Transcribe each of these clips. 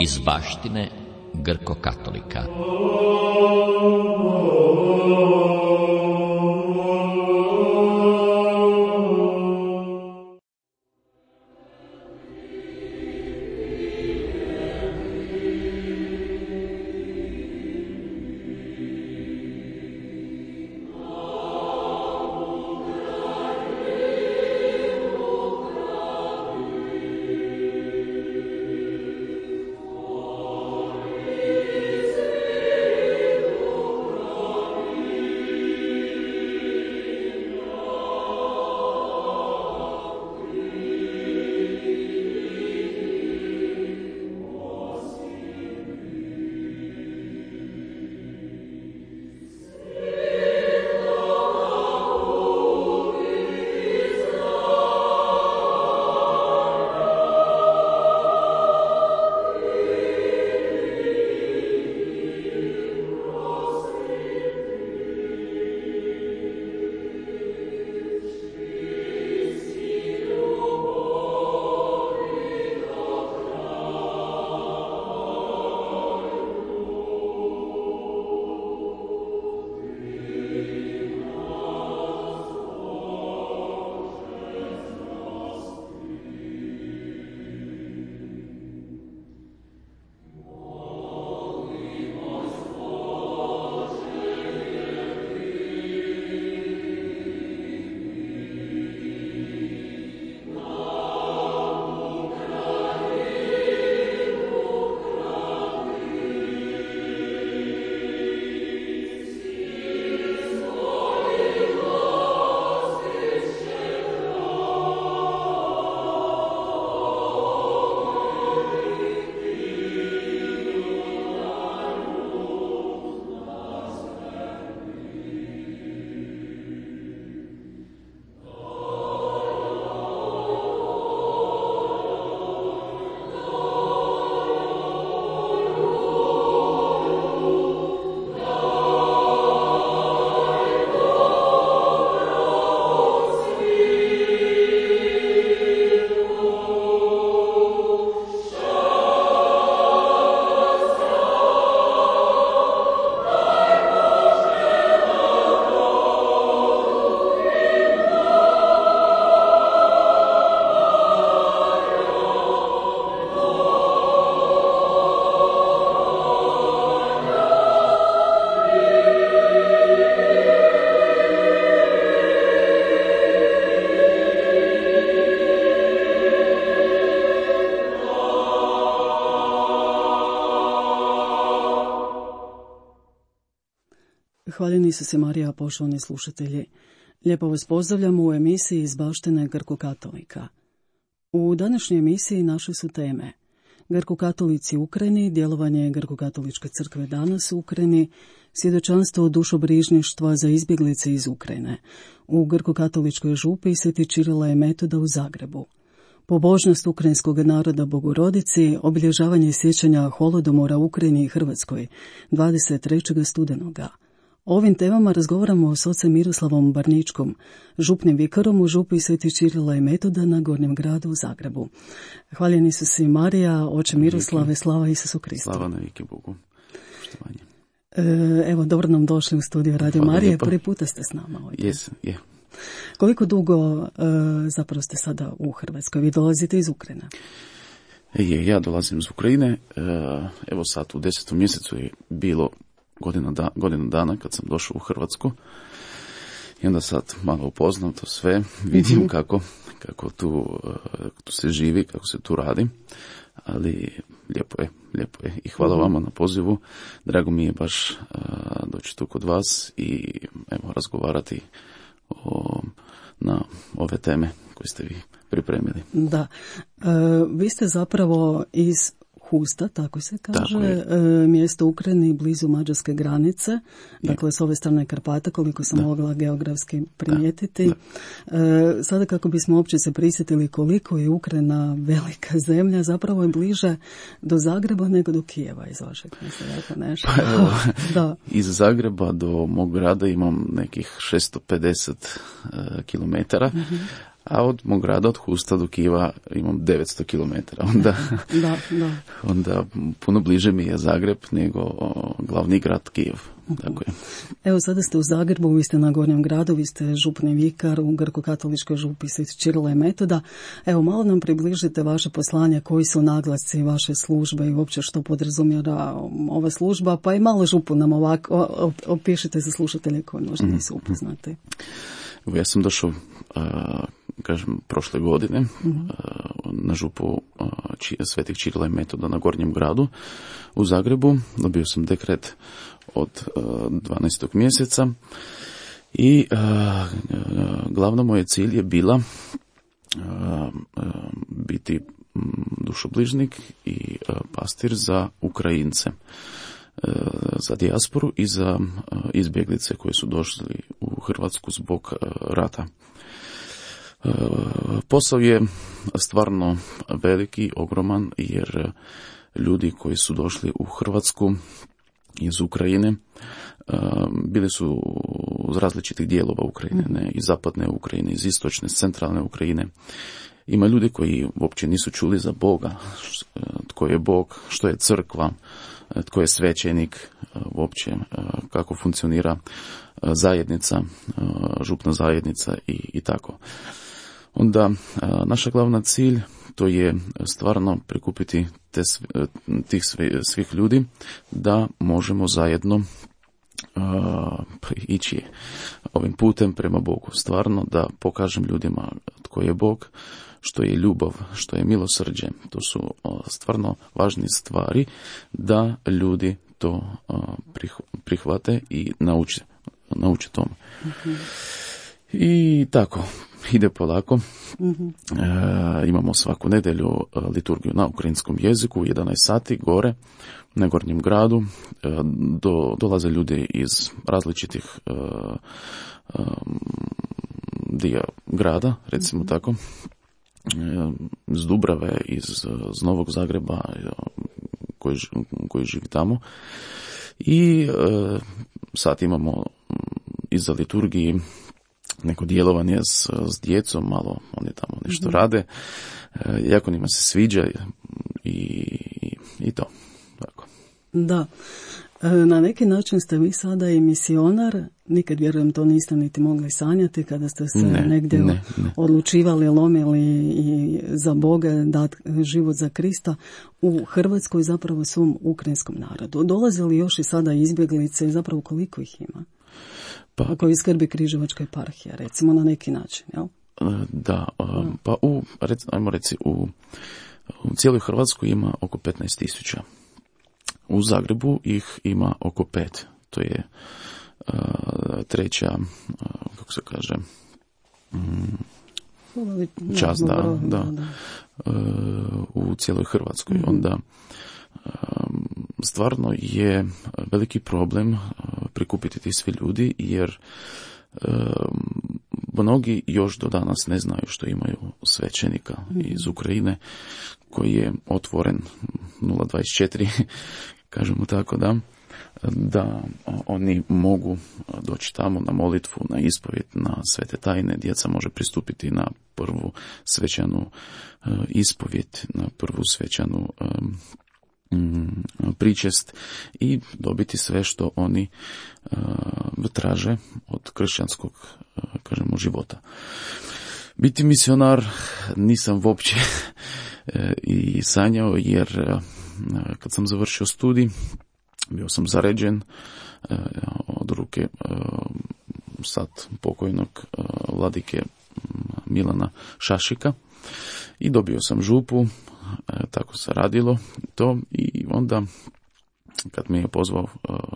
Iz baštine Grko-katolika. Hvaljeni Isuse Marija, poštovani slušatelji. Lijepo vas pozdravljamo u emisiji iz baštine Grko-katolika. U današnjoj emisiji naše su teme: Grko-katolici u Ukrajini, djelovanje Grko-katoličke crkve danas u Ukrajini, svjedočanstvo dušobrižništva za izbjeglice iz Ukrajine. U Grko-katoličkoj župi Sveti Čirila i Metoda u Zagrebu. Pobožnost ukrajinskog naroda Bogorodici, obilježavanje sjećanja Holodomora u Ukrajini i Hrvatskoj 23. studenoga. O ovim temama razgovaramo s ocem Miroslavom Barničkom, župnim vikarom u župi Sveti Čirila i Metoda na Gornjem gradu u Zagrebu. Hvaljeni Isus i Marija, oče Miroslave, slava Isusu Kristu. Slava navike Bogu. Poštovanje. Evo, dobro nam došli u studiju Radio Marije. Prvi puta ste s nama ovdje. Je. Koliko dugo zapravo ste sada u Hrvatskoj? Vi dolazite iz Ukrajine. Ja dolazim iz Ukrajine. Evo sad u 10. mjesecu je bilo godinu dana kad sam došao u Hrvatsku. I onda sad malo upoznam to sve. Vidim kako tu se živi, kako se tu radi. Ali lijepo je. I hvala vama na pozivu. Drago mi je baš doći tu kod vas i evo razgovarati na ove teme koje ste vi pripremili. Da. Vi ste zapravo iz Husta, tako se kaže, mjesto u Ukrajini blizu mađarske granice, dakle s ove strane Karpata, koliko sam mogla geografski primijetiti. Sada kako bismo uopće se prisjetili koliko je Ukrajina velika zemlja, zapravo je bliže do Zagreba nego do Kijeva iz vašeg mjesta, nešto. Pa evo, da. Iz Zagreba do mog grada imam nekih 650 kilometara, A od mog grada, od Husta do Kijeva imam 900 km. Onda puno bliže mi je Zagreb nego glavni grad Kijev. Tako je. Evo, sada ste u Zagrebu, vi ste na Gornjem gradu, vi ste župni vikar u grko-katoličkoj župi Sv. Ćirila i Metoda. Evo, malo nam približite vaše poslanje, koji su naglasci vaše službe i uopće što podrazumijeva ova služba, pa i malo župu nam ovako opišite za slušatelje koji možda nisu upoznati. Ja sam došao, prošle godine na župu Svetih Ćirila i Metoda na Gornjem gradu u Zagrebu. Dobio sam dekret od 12. mjeseca i glavno moje cilj je bila biti dušobližnik i pastir za Ukrajince, za dijasporu i za izbjeglice koji su došli u Hrvatsku zbog rata. Posao je stvarno veliki, ogroman, jer ljudi koji su došli u Hrvatsku iz Ukrajine bili su iz različitih dijelova Ukrajine, ne, iz zapadne Ukrajine, iz istočne, centralne Ukrajine. Ima ljudi koji uopće nisu čuli za Boga, tko je Bog, što je crkva, tko je svećenik, uopće kako funkcionira zajednica, župna zajednica i tako. Onda naša glavna cilj to je stvarno prikupiti tih svih ljudi da možemo zajedno ići ovim putem prema Bogu. Stvarno da pokažem ljudima tko je Bog, što je ljubav, što je milosrđe. To su stvarno važne stvari da ljudi to prihvate i nauče tome. I tako, ide polako. Imamo svaku nedjelju liturgiju na ukrajinskom jeziku u 11 sati gore na Gornjem gradu. Dolaze ljudi iz različitih dio grada, recimo tako, iz Dubrave, iz Novog Zagreba, koji živi tamo. I sad imamo iza liturgiji neko djelovanje s djecom, malo oni tamo nešto rade, jako njima se sviđa i to. Tako. Da, na neki način ste vi sada i misionar, nikad vjerujem to niste niti mogli sanjati kada ste se negdje odlučivali, lomili i za Boga dati život za Krista u Hrvatskoj, zapravo svom ukrajinskom narodu. Dolaze li još i sada izbjeglice i zapravo koliko ih ima? Ako iskrbi Križevačka eparhija, recimo na neki način, jel? Da, pa ajmo reći, u cijeloj Hrvatskoj ima oko 15.000. U Zagrebu ih ima oko 5. To je treća, kako se kaže, čast, da. U cijeloj Hrvatskoj. Onda stvarno je veliki problem prikupiti ti svi ljudi, jer mnogi još do danas ne znaju što imaju svećenika iz Ukrajine koji je otvoren 024, kažemo tako, da oni mogu doći tamo na molitvu, na ispovjed, na svete tajne. Djeca može pristupiti na prvu svečanu ispovjed, na prvu svečanu pričest i dobiti sve što oni traže od kršćanskog, kažemo, života. Biti misionar nisam uopće i sanjao, jer kad sam završio studij, bio sam zaređen od ruke sad pokojnog vladike Milana Šašika i dobio sam župu. Tako se radilo to i onda kad me je pozvao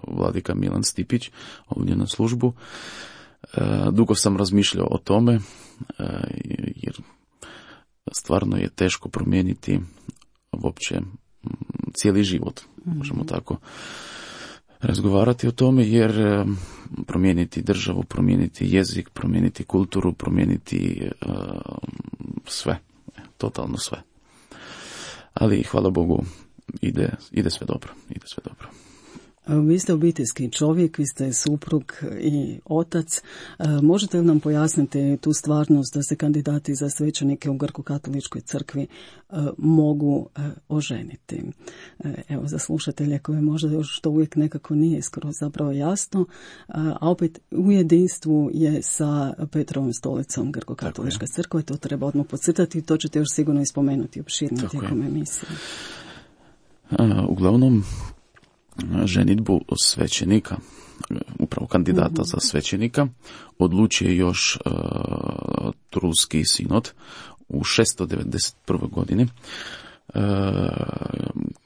vladika Milan Stipić ovdje na službu, dugo sam razmišljao o tome, jer stvarno je teško promijeniti uopće cijeli život, možemo tako razgovarati o tome, jer promijeniti državu, promijeniti jezik, promijeniti kulturu, promijeniti sve, totalno sve. Ali hvala Bogu ide sve dobro, Vi ste obiteljski čovjek, vi ste suprug i otac. Možete li nam pojasniti tu stvarnost da se kandidati za svećenike u Grko-katoličkoj crkvi mogu oženiti? Evo, za slušatelje koje možda još to uvijek nekako nije skroz zapravo jasno, a opet u jedinstvu je sa Petrovom stolicom Grko-katolička crkva, to treba odmah podcrtati i to ćete još sigurno ispomenuti opširnije tijekom emisije. Uglavnom, ženidbu svećenika, upravo kandidata za svećenika, odlučuje još Trulski sinod u 691. godini,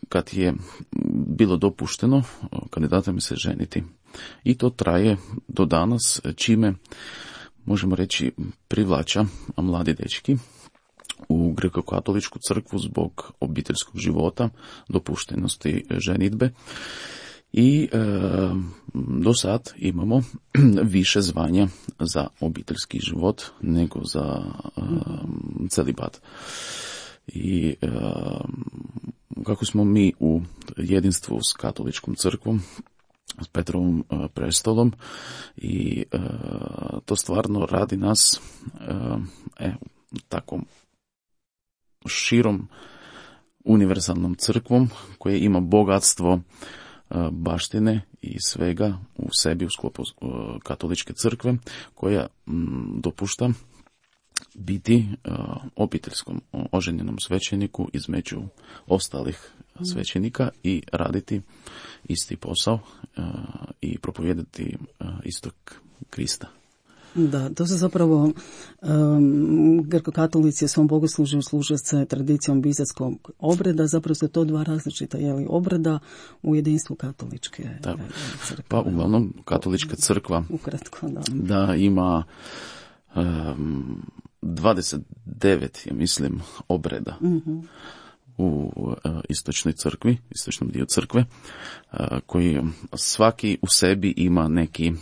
kad je bilo dopušteno kandidatima se ženiti. I to traje do danas, čime, možemo reći, privlača mladi dečki u Greko-katoličku crkvu zbog obiteljskog života, dopuštenosti ženidbe. I do sad imamo više zvanja za obiteljski život nego za celibat. I kako smo mi u jedinstvu s katoličkom crkvom, s Petrovom prestolom, i to stvarno radi nas takom širom univerzalnom crkvom koja ima bogatstvo baštine i svega u sebi u sklopu katoličke crkve, koja dopušta biti obiteljskom oženjenom svećeniku između ostalih svećenika i raditi isti posao i propovijedati istog Krista. Da, to se zapravo grko-katolici u svom bogoslužju služe se tradicijom bizanskog obreda, zapravo su to dva različita obreda u jedinstvu katoličke crkve. Pa uglavnom katolička crkva ukratko, da ima 29, ja mislim, obreda u istočnoj crkvi, istočnom dio crkve, koji svaki u sebi ima neki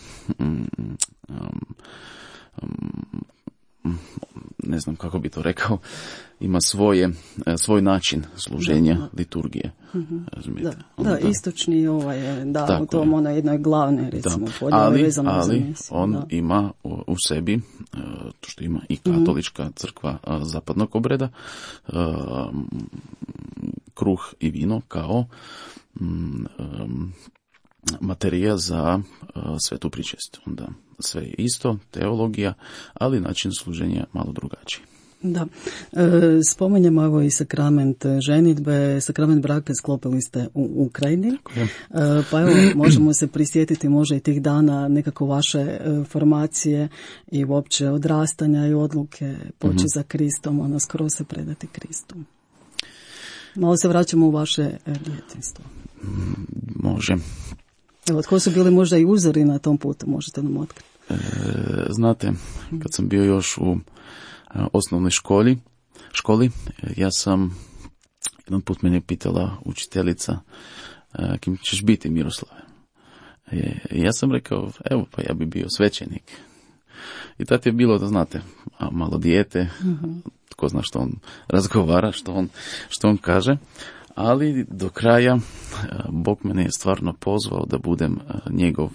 ne znam kako bi to rekao, ima svoj način služenja liturgije. Razumijete? Da, istočni je, u tom ono jednoj glavne, recimo, podjele vezano za misiju. On ima u sebi, to što ima i katolička crkva zapadnog obreda, kruh i vino kao materija za svetu pričest. Onda sve je isto, teologija, ali način služenja malo drugačiji. Da. Spomenjemo evo i sakrament ženidbe, sakrament braka sklopili ste u Ukrajini. Pa evo, možemo se prisjetiti možda i tih dana nekako vaše formacije i uopće odrastanja i odluke poći za Kristom, skroz se predati Kristu. Malo se vraćamo u vaše djetinjstvo. Može. Evo, tko su bili možda i uzori na tom putu, možete nam otkriti? Znate, kad sam bio još u osnovnoj školi, ja sam, jedan put mene pitala učiteljica, kim ćeš biti, Miroslave? Ja sam rekao, evo, pa ja bi bio svećenik. I tad je bilo, da znate, malo dijete, tko zna što on razgovara, što on kaže, ali do kraja Bog mene je stvarno pozvao da budem njegov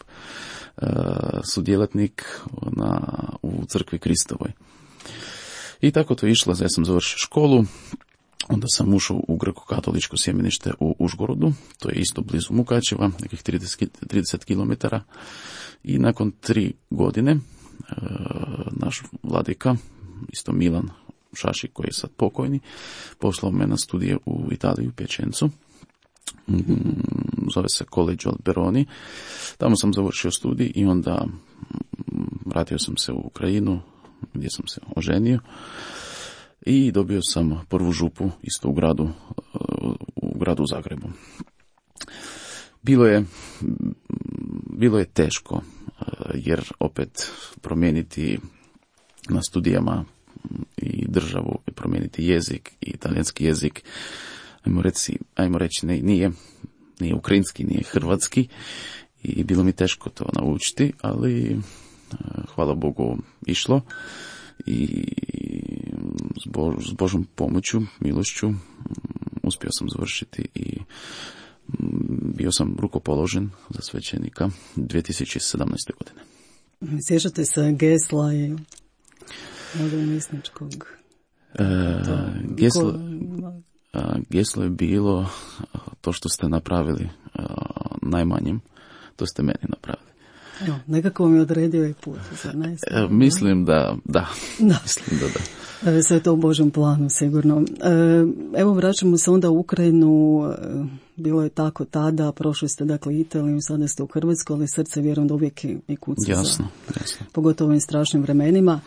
sudjelatnik u crkvi Kristovoj. I tako to išlo, ja sam završio školu, onda sam ušao u Greko-katoličko sjemenište u Užgorodu, to je isto blizu Mukačeva, nekih 30 km, i nakon 3 godine naš vladika, isto Milan Šašik, koji je sad pokojni, poslao me na studije u Italiju, u Pječencu. Zove se Collegio Alberoni. Tamo sam završio studij i onda vratio sam se u Ukrajinu, gdje sam se oženio, i dobio sam prvu župu isto u gradu Zagrebu. Bilo je teško, jer opet promijeniti na studijama i državu, i promijeniti jezik, i talijanski jezik, ajmo reći nije ukrajinski, nije hrvatski, i bilo mi teško to naučiti, ali hvala Bogu išlo, i s Božom pomoću, milošću, uspio sam završiti i bio sam rukopoložen za svećenika 2017. godine. Sjećate se gesla i misničkog? Geslo je bilo to što ste napravili najmanjim, to ste meni napravili. Evo, nekako mi je odredio i put, zar ne? Mislim da. Mislim da. Sve je to u Božjem planu, sigurno. Evo, vraćamo se onda u Ukrajinu. Bilo je tako tada, prošli ste dakle Italiju, sada ste u Hrvatskoj, ali srce vjerujem da uvijek i kuca. Jasno. Pogotovo u ovim strašnim vremenima.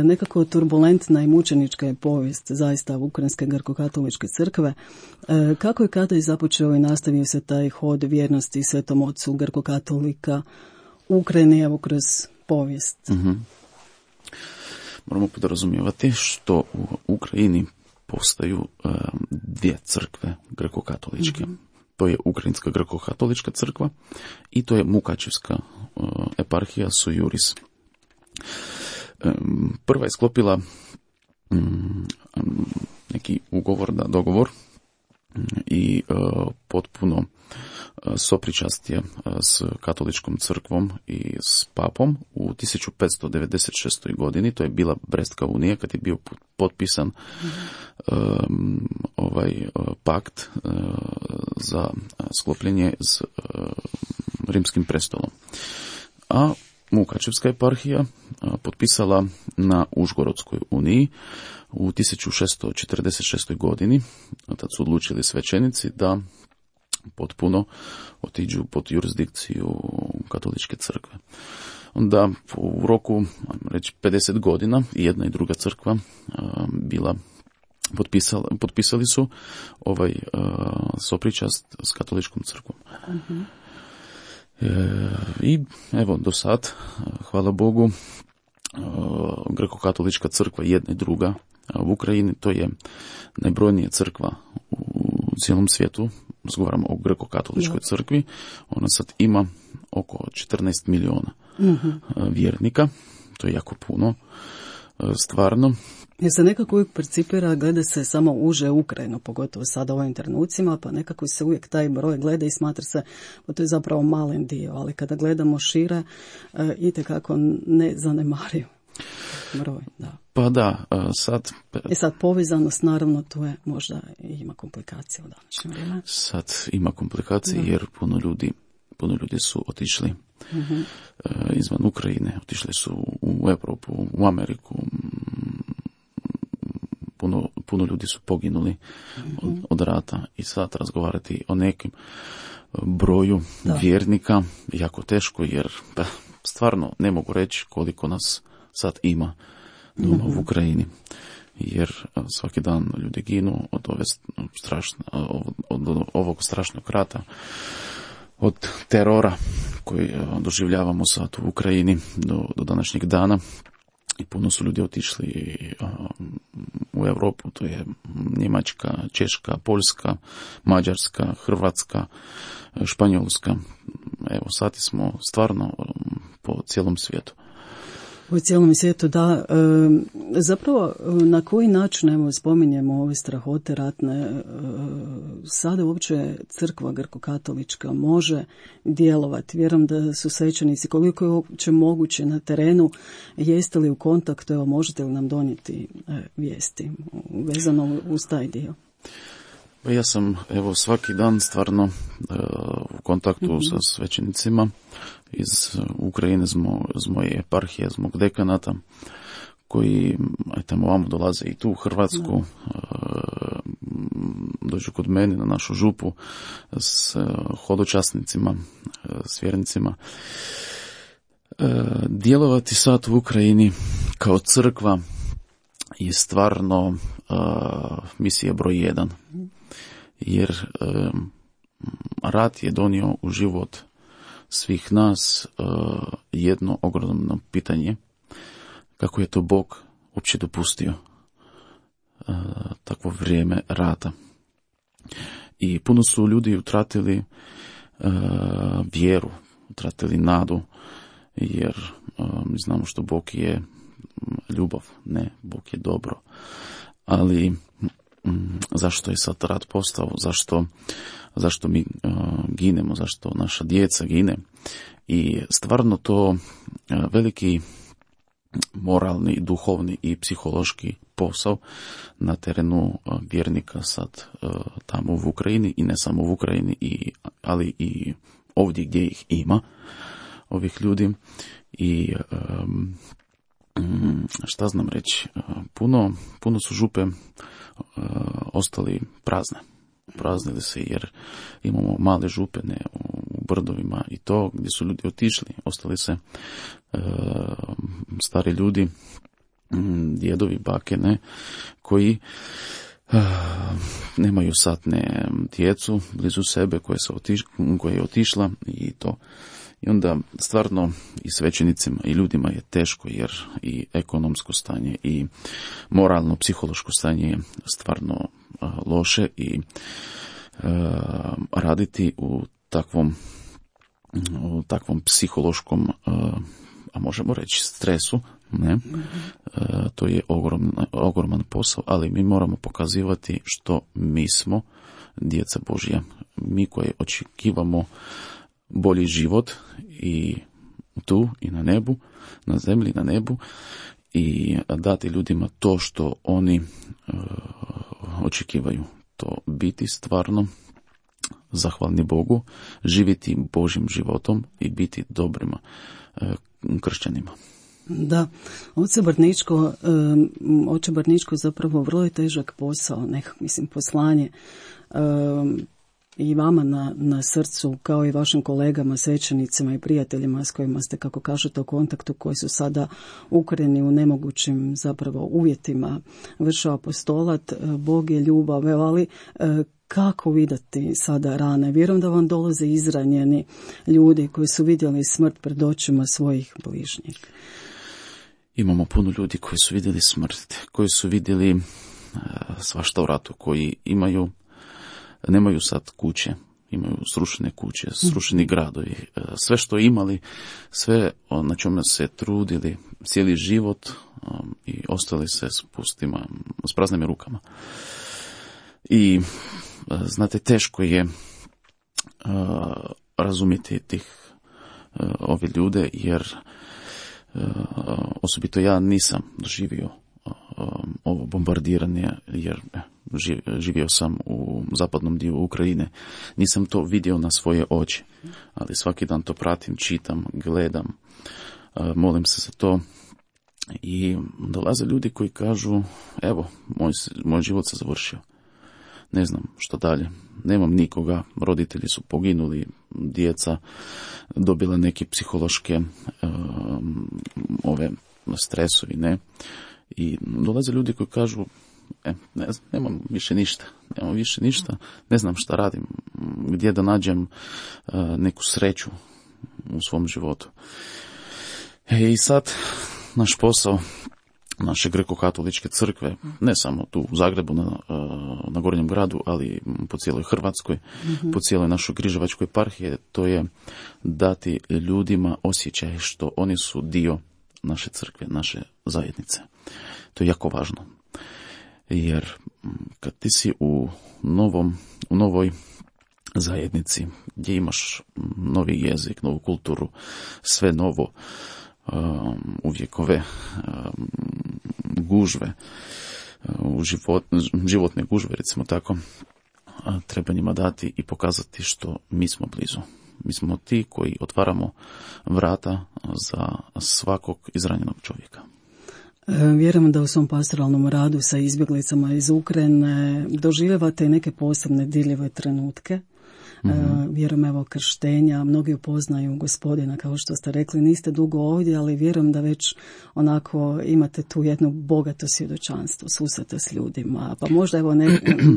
Nekako turbulentna i mučenička je povijest zaista Ukrajinske grko-katoličke crkve. Kako je kada i započeo i nastavio se taj hod vjernosti Svetom Ocu grko-katolika u Ukrajini, evo kroz povijest? Moramo podrazumijevati što u Ukrajini postaju dvije crkve greko-katoličke. To je Ukrajinska greko-katolička crkva i to je Mukačevska eparhija Sojuris. Prva je sklopila neki dogovor i potpuno sopričastje s katoličkom crkvom i s papom u 1596. godini. To je bila Brestska unija kad je bio potpisan pakt za sklopljenje s rimskim prestolom. A Mukačevska eparhija potpisala na Užgorodskoj uniji u 1646. godini. Tad su odlučili svećenici da potpuno otiđu pod jurisdikciju katoličke crkve. Onda u roku, reći 50 godina, i jedna i druga crkva potpisali su sopričast s katoličkom crkvom. I evo do sad, hvala Bogu, greko-katolička crkva jedna i druga u Ukrajini, to je najbrojnija crkva u cijelom svijetu. Razgovaramo o greko-katoličkoj crkvi. Ona sad ima oko 14 milijuna vjernika. To je jako puno, stvarno. Jer se nekako uvijek percipira, gleda se samo uže Ukrajinu, pogotovo sada u ovim trenucima, pa nekako se uvijek taj broj gleda i smatra se, pa to je zapravo malen dio, ali kada gledamo šire, itekako ne zanemariv broj. Da. Pa da, sad... sad povezanost, naravno, tu je možda ima komplikacije u današnjem vrijeme. Sad ima komplikacije jer puno ljudi su otišli izvan Ukrajine, otišli su u Europu, u Ameriku. Puno ljudi su poginuli od rata i sad razgovarati o nekim broju vjernika jako teško, jer stvarno ne mogu reći koliko nas sad ima doma u Ukrajini, jer svaki dan ljudi ginu od ovog strašnog rata, od terora koji doživljavamo sad u Ukrajini do današnjeg dana. I puno su ljudi otišli u Europu, to je Njemačka, Češka, Poljska, Mađarska, Hrvatska, Španjolska. Evo, sad smo stvarno po cijelom svijetu. U cijelom svijetu, da. Zapravo, na koji način, evo, spominjemo ove strahote ratne, sada uopće crkva grko-katolička može djelovati? Vjerujem da su svećenici, koliko je uopće moguće na terenu, jeste li u kontaktu, evo, možete li nam donijeti vijesti vezano uz taj dio? Ja sam, evo, svaki dan stvarno u kontaktu sa svećenicima iz Ukrajine, iz moje eparhije, iz mog dekanata, koji tamo vamo dolaze i tu u Hrvatsku, dođu kod mene na našu župu s hodočasnicima, s vjernicima. Djelovati sad u Ukrajini kao crkva je stvarno misija broj 1. Jer rat je donio u život svih nas jedno ogromno pitanje, kako je to Bog uopće dopustio takvo vrijeme rata. I puno su ljudi utratili vjeru, utratili nadu, jer mi znamo što Bog je ljubav, ne, Bog je dobro. Ali zašto je sad rat postao, zašto mi ginemo, zašto naša djeca gine. I stvarno to veliki moralni, duhovni i psihološki posao na terenu vjernika sad tamo u Ukrajini i ne samo u Ukrajini, ali i ovdje gdje ih ima, ovih ljudi. I šta znam reći, puno su župe ostali prazne. Praznili se jer imamo male župe u brdovima i to gdje su ljudi otišli. Ostali se stari ljudi, djedovi, bake, koji nemaju sad djecu blizu sebe koja je otišla i to. I onda stvarno i svećenicima i ljudima je teško jer i ekonomsko stanje i moralno, psihološko stanje je stvarno loše i raditi u takvom psihološkom, a možemo reći stresu, to je ogroman posao, ali mi moramo pokazivati što mi smo djeca Božja, mi koji očekivamo bolji život i tu i na nebu, na zemlji, na nebu, i dati ljudima to što oni očekivaju. To biti stvarno zahvalni Bogu, živjeti Božjim životom i biti dobrima kršćanima. Da, oče Barničko zapravo vrlo je težak posao, poslanje i vama na srcu, kao i vašim kolegama, svećenicima i prijateljima s kojima ste, kako kažete, u kontaktu, koji su sada ukreni u nemogućim zapravo uvjetima, vrše apostolat. Bog je ljubav, ali kako vidjeti sada rane? Vjerujem da vam dolaze izranjeni ljudi koji su vidjeli smrt pred očima svojih bližnjih. Imamo puno ljudi koji su vidjeli smrt, koji su vidjeli svašta u ratu, koji nemaju sad kuće, imaju srušene kuće, srušeni gradovi, sve što imali, sve na čemu se trudili cijeli život i ostali se s praznim rukama. I znate, teško je razumjeti ove ljude, jer osobito ja nisam doživio ovo bombardiranje, jer živio sam u zapadnom dijelu Ukrajine. Nisam to vidio na svoje oči, ali svaki dan to pratim, čitam, gledam, molim se za to. I dolaze ljudi koji kažu, evo, moj život se završio. Ne znam što dalje. Nemam nikoga, roditelji su poginuli, djeca dobila neke psihološke stresovi, I dolaze ljudi koji kažu, nemam više ništa, ne znam šta radim, gdje da nađem neku sreću u svom životu. I sad naš posao, naše Greko-katoličke crkve, ne samo tu u Zagrebu, na Gornjem gradu, ali po cijeloj Hrvatskoj, po cijeloj našoj Križevačkoj eparhiji, to je dati ljudima osjećaj što oni su dio naše crkve, naše zajednice. To je jako važno. Jer kad ti si u novoj zajednici, gdje imaš novi jezik, novu kulturu, sve novo, uvijek ove gužve, životne gužve, recimo tako, treba njima dati i pokazati što mi smo blizu. Mi smo ti koji otvaramo vrata za svakog izranjenog čovjeka. Vjerujem da u svom pastoralnom radu sa izbjeglicama iz Ukrajine doživljavate neke posebne dirljive trenutke. Vjerujem, evo, krštenja, mnogi upoznaju Gospodina, kao što ste rekli, niste dugo ovdje, ali vjerujem da već onako imate tu jedno bogato svjedočanstvo, susrete s ljudima, pa možda, evo,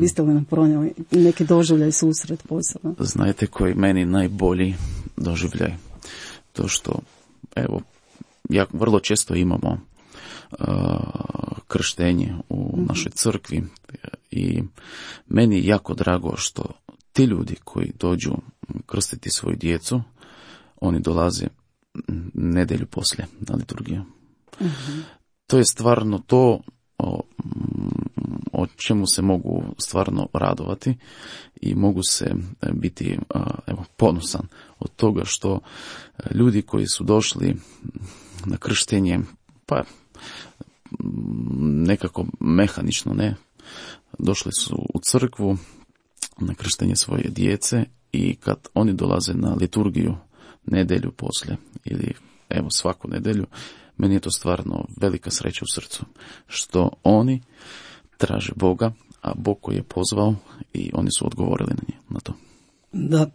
biste li nam pronijeli neki doživljaj, susret posebno? Znajte koji meni najbolji doživljaj? To što, evo, vrlo često imamo krštenje u našoj crkvi i meni je jako drago što ti ljudi koji dođu krstiti svoju djecu, oni dolaze nedjelju poslije na liturgiju. To je stvarno to o čemu se mogu stvarno radovati i mogu se biti ponosan od toga što ljudi koji su došli na krštenje, pa nekako mehanično, ne, došli su u crkvu na krštenje svoje djece i kad oni dolaze na liturgiju nedjelju poslije ili svaku nedjelju, meni je to stvarno velika sreća u srcu, što oni traže Boga, a Bog koji je pozvao i oni su odgovorili na to. Da,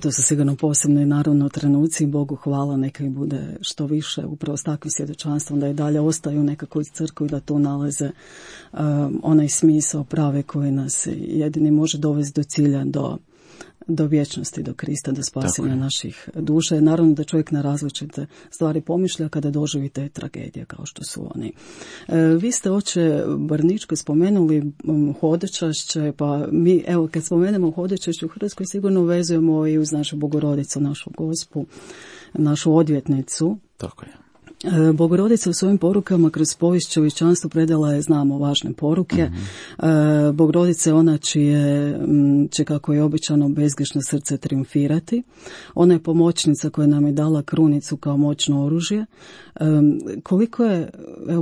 to su sigurno posebno i naravno trenuci, Bogu hvala, neka ih bude što više, upravo s takvim svjedočanstvom, da i dalje ostaju nekako iz crkve i da tu nalaze onaj smisao prave koji nas jedini može dovesti do cilja, do vječnosti, do Krista, do spasenja naših duša. Naravno da čovjek na različite stvari pomišlja kada doživi te tragedije kao što su oni. Vi ste, oče Barničko, spomenuli hodočašće, pa mi, kad spomenemo hodočašće u Hrvatskoj, sigurno vezujemo i uz našu Bogorodicu, našu Gospu, našu odvjetnicu. Tako je. Bogorodica u svojim porukama kroz povijest čovječanstvu predala je, znamo, važne poruke. Bogorodica je ona će, kako je običano, bezgrešno srce triumfirati. Ona je pomoćnica koja nam je dala krunicu kao moćno oružje. Koliko je,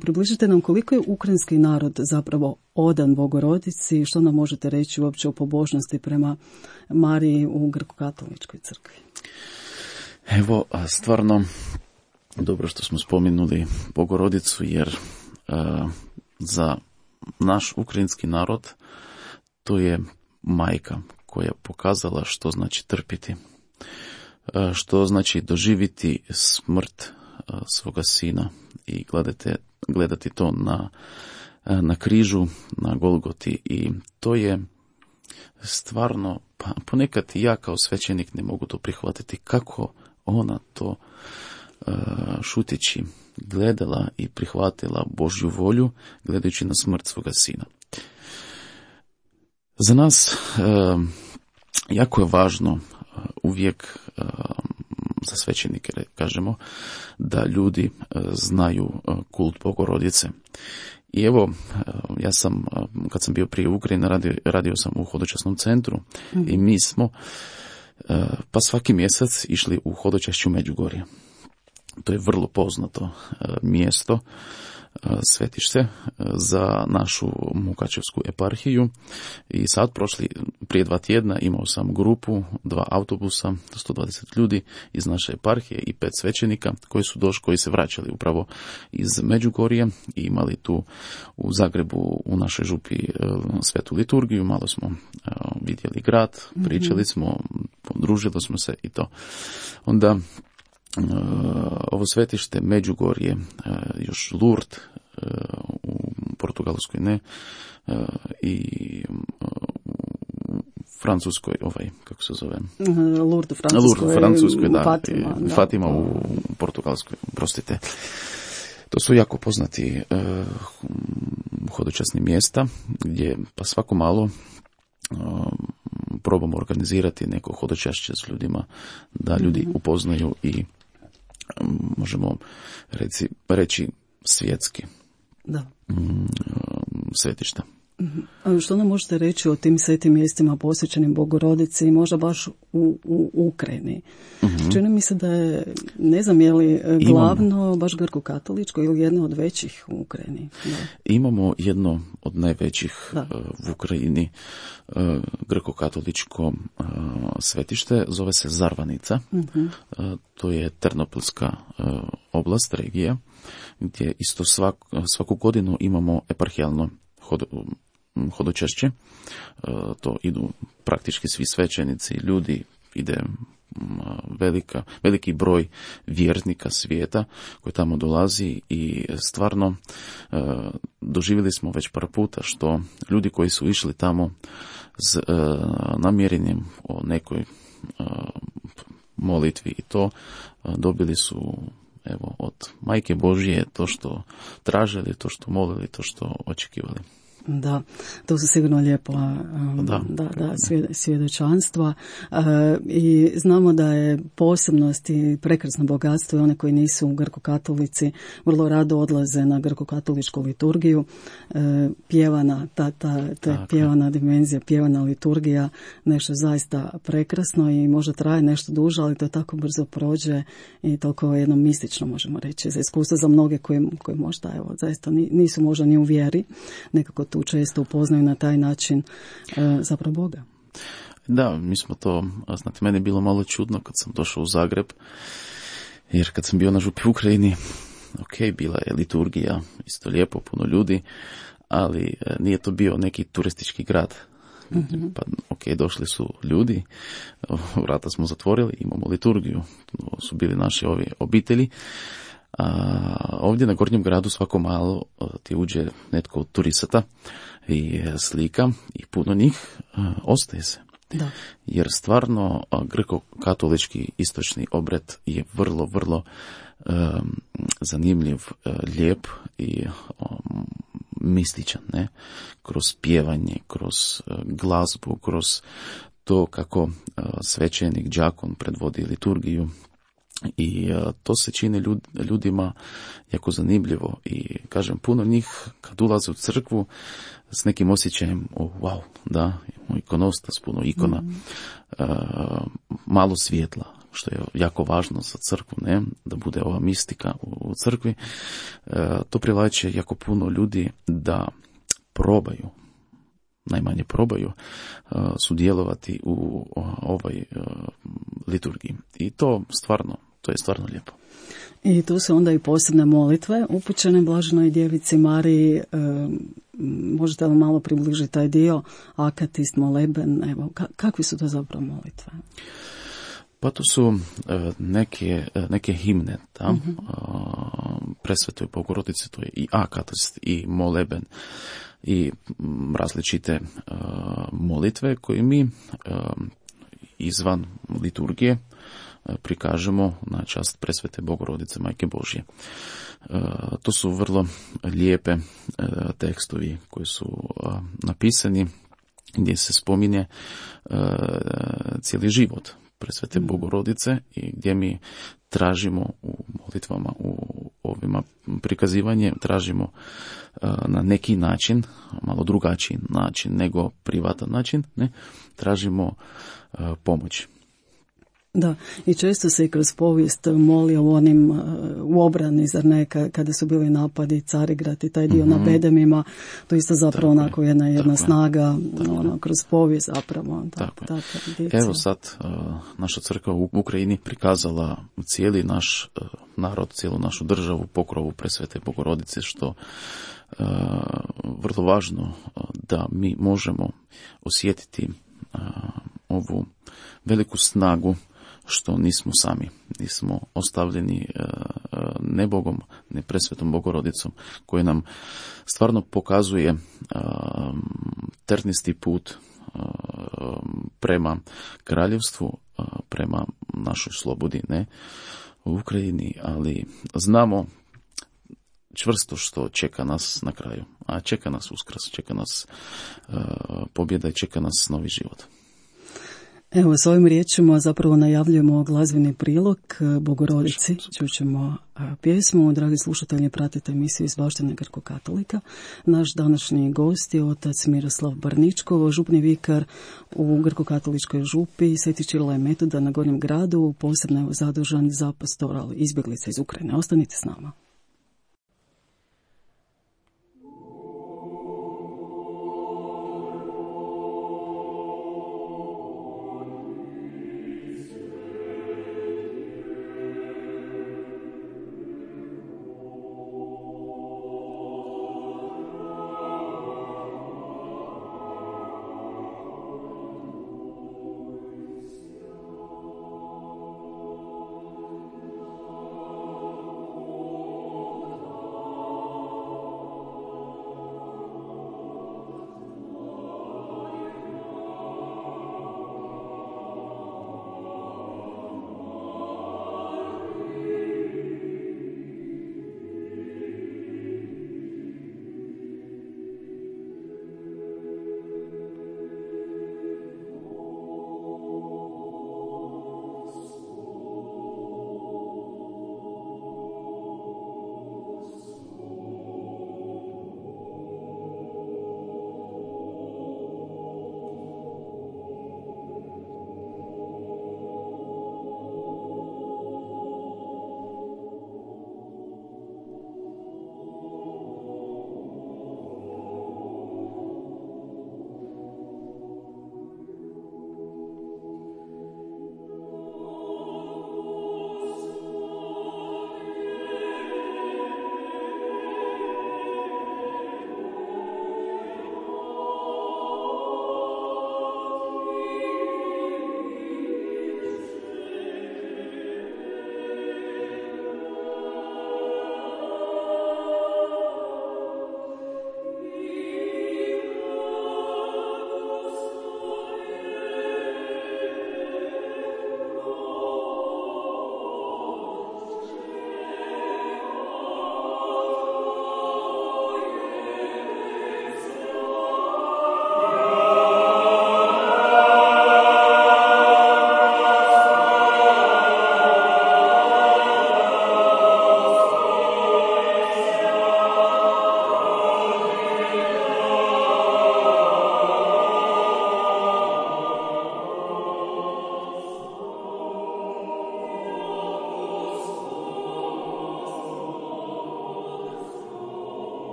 približite nam koliko je ukrajinski narod zapravo odan Bogorodici, što nam možete reći uopće o pobožnosti prema Mariji u Grko-katoličkoj crkvi? Stvarno dobro što smo spomenuli Bogorodicu, jer za naš ukrajinski narod to je majka koja je pokazala što znači trpiti, što znači doživiti smrt svoga sina i gledati to na križu, na Golgoti, i to je stvarno, ponekad ja kao svećenik ne mogu to prihvatiti, kako ona to šuteći gledala i prihvatila Božju volju gledajući na smrt svoga sina. Za nas jako je važno uvijek za svećenike, kažemo, da ljudi znaju kult Bogorodice. I ja sam, kad sam bio prije u Ukrajini, radio sam u hodočasnom centru i mi smo pa svaki mjesec išli u hodočašće u Međugorje. To je vrlo poznato mjesto, svetište za našu Mukačevsku eparhiju, i sad prije 2 tjedna imao sam grupu, 2 autobusa, 120 ljudi iz naše eparhije i 5 svećenika koji se vraćali upravo iz Međugorje i imali tu u Zagrebu u našoj župi svetu liturgiju. Malo smo vidjeli grad, pričali smo, podružili smo se i to. Onda ovo svetište Međugorje, još Lourdes u Portugalskoj, ne, i Francuskoj, kako se zove? Lourdes u Francuskoj, da, Fatima, Fatima u Portugalskoj, prostite. To su jako poznati hodočasni mjesta gdje pa svako malo probamo organizirati neko hodočašće s ljudima, da ljudi upoznaju i možemo reći svjetski svetišta. A što nam možete reći o tim svetim mjestima posvećenim Bogorodici, možda baš u Ukrajini? Čini mi se da je, ne znam je li glavno baš grko-katoličko ili jedno od većih u Ukrajini. Da. Imamo jedno od najvećih u Ukrajini grko-katoličko svetište, zove se Zarvanica. To je Ternopilska oblast, regija, gdje isto svaku godinu imamo eparhijalno hodočašće. To idu praktički svi svećenici, ljudi, ide veliki broj vjernika svijeta koji tamo dolazi, i stvarno doživjeli smo već par puta što ljudi koji su išli tamo s namjerenjem o nekoj molitvi i to, dobili su od Majke Božje to što tražili, to što molili, to što očekivali. Da, to su sigurno lijepa svjedočanstva i znamo da je posebnost i prekrasno bogatstvo i one koji nisu grko-katolici vrlo rado odlaze na grko-katoličku liturgiju. Pjevana, pjevana dimenzija, pjevana liturgija, nešto zaista prekrasno i možda traje nešto duže, ali to tako brzo prođe i toliko jedno mistično, možemo reći, za iskustvo za mnoge koji možda zaista nisu možda ni u vjeri, nekako tu često upoznaju na taj način zapravo Boga. Da, mi smo to, znate, meni je bilo malo čudno kad sam došao u Zagreb, jer kad sam bio na župi u Ukrajini, bila je liturgija, isto lijepo, puno ljudi, ali nije to bio neki turistički grad. Pa došli su ljudi, vrata smo zatvorili, imamo liturgiju, to su bili naše obitelji. A ovdje na Gornjem gradu svako malo ti uđe netko od turisata i slika i puno njih ostaje se. Da. Jer stvarno grko-katolički istočni obred je vrlo, vrlo zanimljiv, lijep i mističan, ne? Kroz pjevanje, kroz glazbu, kroz to kako svećenik, đakon predvodi liturgiju. I to se čini ljudima jako zanimljivo i kažem, puno njih kad ulaze u crkvu s nekim osjećajem, wow, da, ikonostas, puno ikona, malo svjetla, što je jako važno za crkvu, ne, da bude ova mistika u crkvi. To privlači jako puno ljudi da probaju, najmanje probaju sudjelovati u ovoj liturgiji. I to je stvarno lijepo. I tu su onda i posebne molitve upućene Blaženoj Djevici Mariji. Možete li malo približiti taj dio? Akatist, moleben, evo, kakvi su to zapravo molitve? Pa to su neke himne, da? Presvetoj Bogorodici, to je i akatist i moleben i različite molitve koje mi izvan liturgije prikažemo na čast Presvete Bogorodice Majke Božje. To su vrlo lijepe tekstovi koji su napisani gdje se spominje cijeli život Presvete Bogorodice i gdje mi tražimo u molitvama, u ovima prikazivanje, tražimo na neki način, malo drugačiji način nego privatan način, ne, tražimo pomoć. Da, i često se i kroz povijest molio u obrani, zar ne, kada su bili napadi Carigrad i taj dio na Bedemima, to isto zapravo onako jedna snaga kroz povijest zapravo. Evo sad naša crkva u Ukrajini prikazala cijeli naš narod, cijelu našu državu pokrovu Presvete Bogorodice, što vrlo važno da mi možemo osjetiti ovu veliku snagu što nismo sami, nismo ostavljeni ne Bogom, ne Presvetom Bogorodicom, koja nam stvarno pokazuje trnisti put prema kraljevstvu, prema našoj slobodi, ne u Ukrajini, ali znamo čvrsto što čeka nas na kraju, a čeka nas uskrs, čeka nas pobjeda i čeka nas novi život. Evo, s ovim riječima zapravo najavljujemo glazbeni prilog Bogorodici. Čućemo pjesmu. Dragi slušatelji, pratite emisiju iz baštine Grko-katolika. Naš današnji gost je otac Miroslav Barničkov, župni vikar u Grko-katoličkoj župi Sveti Ćirila i Metoda na Gornjem gradu, posebno je zadužen za pastoral izbjeglica iz Ukrajine. Ostanite s nama.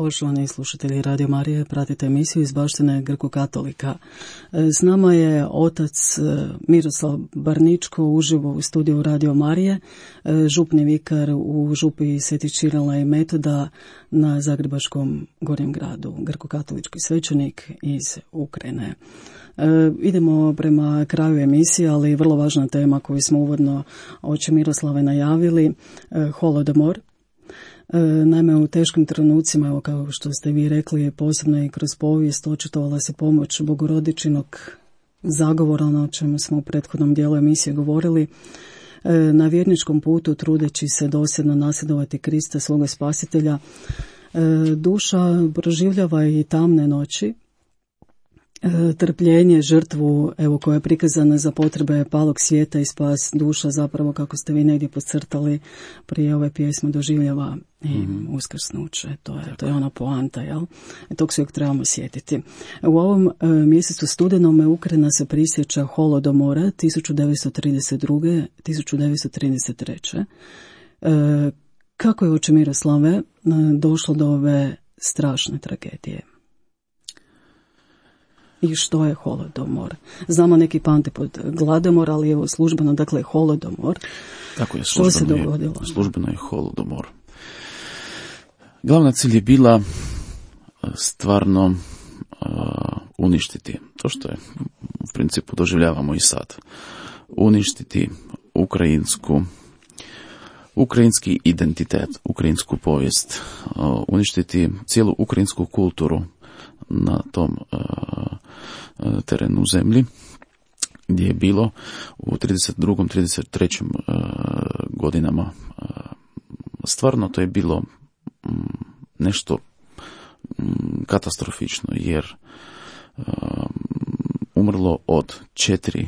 Poštovani slušatelji Radio Marije, pratite emisiju iz baštine Grko-katolika. S nama je otac Miroslav Barničko uživo u studiju Radio Marije, župni vikar u župi Sveti Čirila i Metoda na Zagrebačkom Gornjem gradu, grko-katolički svećenik iz Ukrajine. Idemo prema kraju emisije, ali vrlo važna tema koju smo uvodno oče Miroslave najavili, holodomor. Naime, u teškim trenucima, evo kao što ste vi rekli, posebno i kroz povijest očitovala se pomoć Bogorodičinog zagovora, o čemu smo u prethodnom dijelu emisije govorili, na vjerničkom putu trudeći se dosljedno nasljedovati Krista, svoga spasitelja. Duša proživljava i tamne noći, trpljenje, žrtvu, evo, koja je prikazana za potrebe palog svijeta i spas duša, zapravo kako ste vi negdje podcrtali prije ove pjesme, doživljava i uskrsnuće. To je ona poanta, jel? Tog se uvijek trebamo sjetiti. U ovom mjesecu studenome Ukrajina se prisjeća holodomora 1932. 1933. Kako je, oče Miroslave, došlo do ove strašne tragedije? I što je holodomor? Znamo neki pamte pod gladomor, ali evo službeno, dakle, holodomor. Tako je, što se dogodilo? Službeno je holodomor. Glavna cilj je bila stvarno uništiti to što je u principu doživljavamo i sad. Uništiti ukrajinski identitet, ukrajinsku povijest, uništiti cijelu ukrajinsku kulturu na tom terenu zemlji, gdje je bilo u 32. 33. Godinama. Stvarno to je bilo nešto katastrofično, jer umrlo od 4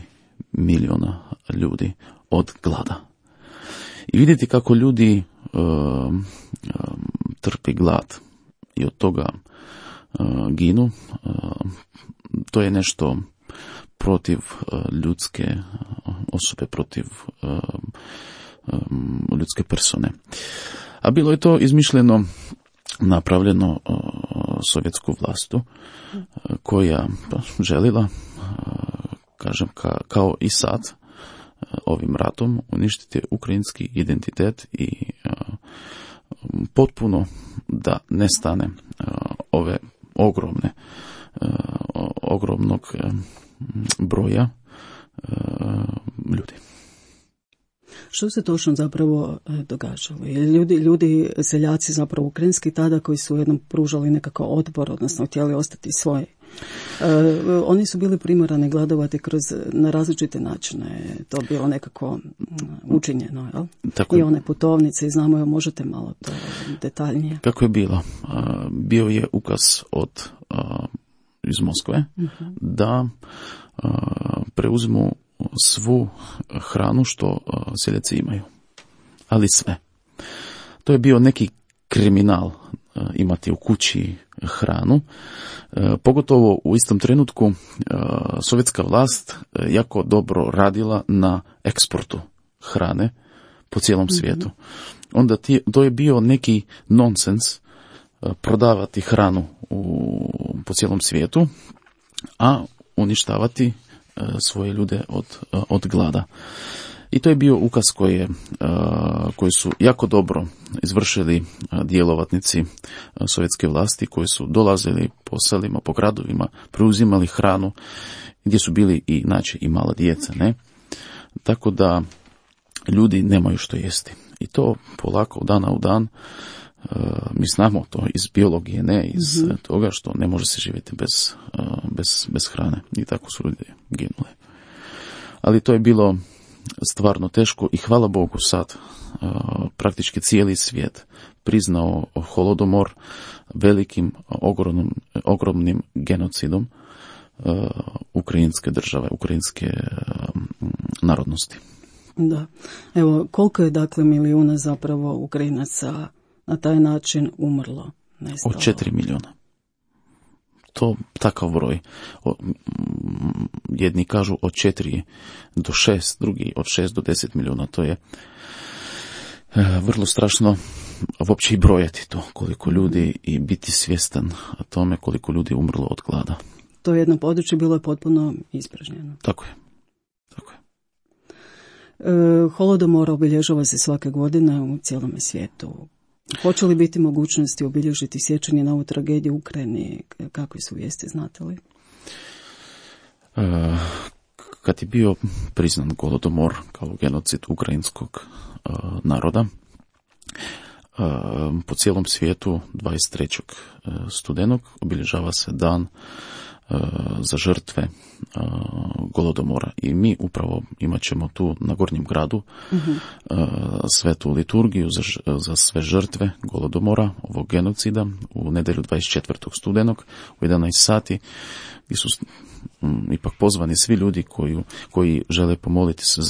milijuna ljudi od glada. I vidjeti kako ljudi trpi glad i od toga ginu, to je nešto protiv ljudske osobe, protiv ljudske persone. A bilo je to izmišljeno, napravljeno sovjetsku vlastu, koja želila, kažem, kao i sad, ovim ratom uništiti ukrajinski identitet i potpuno da nestane ove ogromnog broja ljudi. Što se točno zapravo događalo? Ljudi, seljaci zapravo ukrajinski tada, koji su jednom pružali nekakav otpor, odnosno htjeli ostati svoji, oni su bili primorani gladovati na različite načine. To je bilo nekako učinjeno, jel? I one putovnice, i znamo, možete malo to detaljnije. Kako je bilo? Bio je ukaz iz Moskve da preuzmu svu hranu što seljaci imaju. Ali sve. To je bio neki kriminal imati u kući hranu. Pogotovo u istom trenutku sovjetska vlast jako dobro radila na eksportu hrane po cijelom svijetu. Onda to je bio neki nonsens prodavati hranu po cijelom svijetu, a uništavati svoje ljude od glada. I to je bio ukaz koji su jako dobro izvršili djelatnici sovjetske vlasti, koji su dolazili po selima, po gradovima, preuzimali hranu, gdje su bili i mala djeca, ne? Tako da ljudi nemaju što jesti. I to polako, dana u dan, mi znamo to iz biologije, ne iz toga što ne može se živjeti bez hrane. I tako su ljudi ginuli. Ali to je bilo stvarno teško i hvala Bogu sad praktički cijeli svijet priznao holodomor velikim, ogromnim genocidom ukrajinske države, ukrajinske narodnosti. Da. Evo, koliko je dakle milijuna zapravo Ukrajinaca na taj način umrlo? Nestalo? Od 4 milijuna. To takav broj. Jedni kažu od 4 do 6, drugi od 6 do 10 milijuna. To je vrlo strašno uopće i brojati to, koliko ljudi, i biti svjestan tome koliko ljudi je umrlo od glada. To jedno područje bilo je potpuno ispražnjeno. Tako je. Holodomor obilježava se svake godine u cijelome svijetu. Hoće li biti mogućnosti obilježiti sjećanje na ovu tragediju u Ukrajini? Kakve su vijesti, znate li? Kad je bio priznat Golodomor kao genocid ukrajinskog naroda, po cijelom svijetu 23. studenog obilježava se dan za žrtve Golodomora. I mi upravo imat ćemo tu na Gornjem gradu svetu liturgiju za sve žrtve Golodomora, ovog genocida, u nedjelju 24. studenog u 11 sati, gdje su ipak pozvani svi ljudi koji žele pomoliti se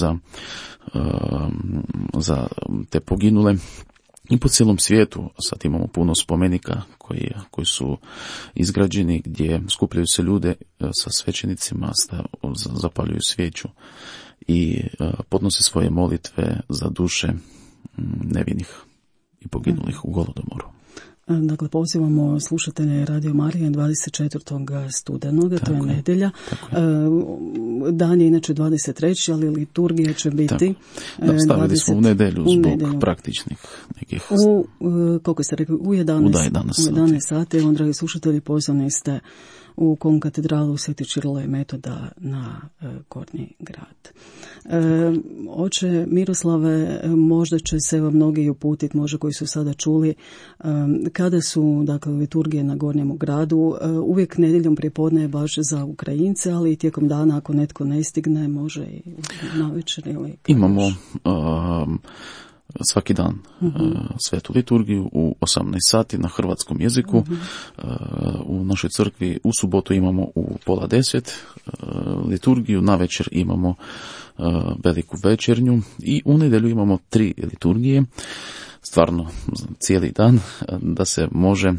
za te poginule. I po cijelom svijetu sad imamo puno spomenika koji su izgrađeni, gdje skupljaju se ljude sa svećenicima, zapaljuju svijeću i podnose svoje molitve za duše nevinih i poginulih u Golodomoru. Dakle, pozivamo slušatelje Radio Marije 24. studenoga, to je nedjelja. Dan je inače 23. ali liturgija će biti... Stavili smo u nedjelju zbog praktičnih nekih... Koliko ste rekli? U 11 sati. Evo, dragi slušatelji, pozvani ste u konkatedralu Sveti Čirila i Metoda na Gornji grad. Oče Miroslave, možda će se mnogi uputiti, možda koji su sada čuli, kada su, dakle, liturgije na Gornjemu gradu, uvijek nedjeljom prijepodne je baš za Ukrajince, ali i tijekom dana ako netko ne stigne, može i navečer ili... Imamo svaki dan svetu liturgiju u 18 sati na hrvatskom jeziku. U našoj crkvi u subotu imamo u 9:30 liturgiju, navečer imamo veliku večernju i u nedjelju imamo 3 liturgije, stvarno cijeli dan, da se može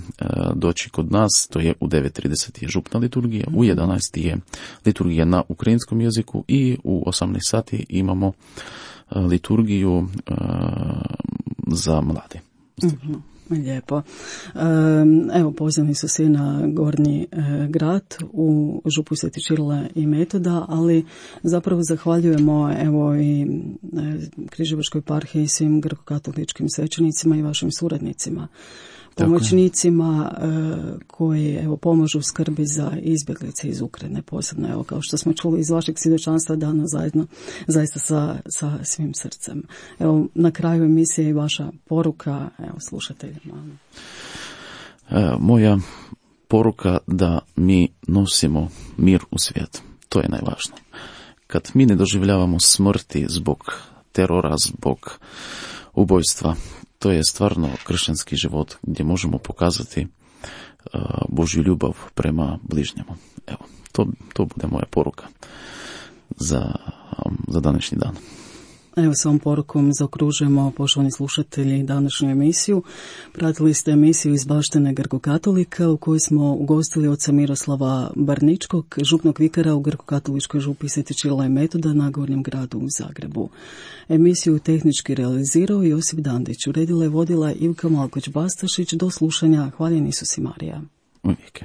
doći kod nas. To je u 9:30 je župna liturgija, u 11 je liturgija na ukrajinskom jeziku i u 18 sati imamo liturgiju za mlade. Lijepo. Evo, pozvani su svi na Gornji grad u župu Sveti Čirila i Metoda, ali zapravo zahvaljujemo evo i Križevačkoj eparhiji i svim grkokatoličkim svećenicima i vašim suradnicima, pomoćnicima koji evo pomažu skrbi za izbjeglice iz Ukrajine, posebno evo kao što smo čuli iz vašeg svjedočanstva dana zaista sa svim srcem. Evo na kraju emisije i vaša poruka evo slušateljima. Moja poruka da mi nosimo mir u svijet. To je najvažnije. Kad mi ne doživljavamo smrti zbog terora, zbog ubojstva, to je stvarno kršćanski život gdje možemo pokazati Božju ljubav prema bližnjemu. Evo, to bude moja poruka za današnji dan. Evo, s ovom porukom zaokružujemo, poštovani slušatelji, današnju emisiju. Pratili ste emisiju iz baštine Grkokatolika u kojoj smo ugostili oca Miroslava Barničkog, župnog vikara u Grkokatoličkoj župi Sveti Čirila i Metoda na Gornjem gradu u Zagrebu. Emisiju tehnički realizirao Josip Dandić, uredila i vodila Ivka Malkoć-Bastašić. Do slušanja. Hvala Isus i Marija. Uvijek.